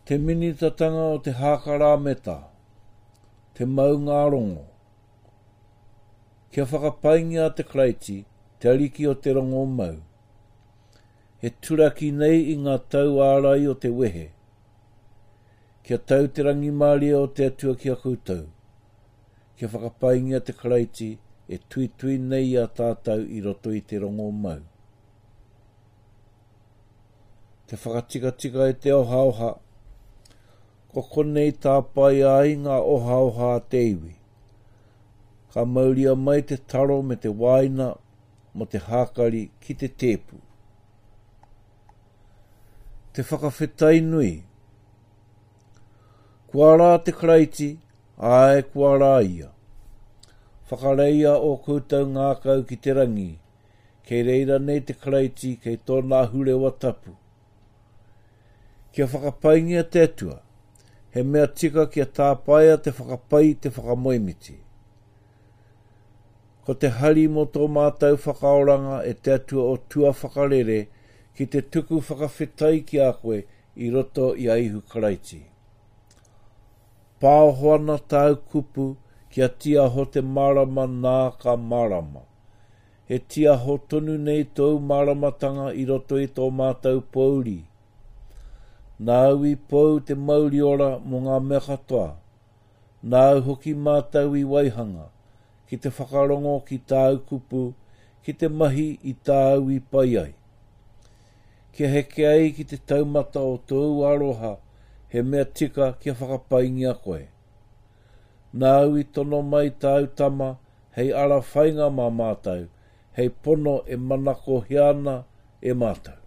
Te minitatanga o te hākarāmeta, te maungārongo. Kia whakapaingia te Karaiti, te Ariki o te rongo mau. E turaki nei i ngā tau ārai o te wehe. Kia tau te rangimārie o te Atua ki a koutou. Kia whakapaingia te Karaiti e tuitui nei i a tātou i roto i te rongo mau. Te whakatikatika i te ohaoha. Ko konei tāpaea ai ngā ohaoha a te iwi. Ka mauria mai te taro me te wāina mō te hākari ki te tēpu. Te whakawhetai nui. Kua rā te Karaiti, āe kua rā ia. Whakareia ō koutou ngākau ki te rangi, Kei reira nei te Karaiti kei tōna ahurewa tapu. Kia whakapaingia te Atua, he mea tika kia tāpaea te whakapai i te whakamoemiti. Ko te hari mō tō mātou whakaoranga e te Atua o tua whakarere ki te tuku whakawhetai ki a koe i roto i a Ihu Karaiti. Pāoho ana tāu kupu kia tiaho te mārama nā ka mārama. He tiaho tonu nei tōu māramatanga i roto i tō mātou pōuri. Nāu i pou te mauri ora mō ngā mea katoa, nāu hoki mātou i waihanga, ki te whakarongo ki tāu kupu, ki te mahi i tāu i pai ai. Kia heke ai ki te taumata o tōu aroha, he mea tika kia whakapaingia koe. Nāu i tono mai tāu Tama hei ara whainga mā mātou, hei pono e manakohia ana e mātou.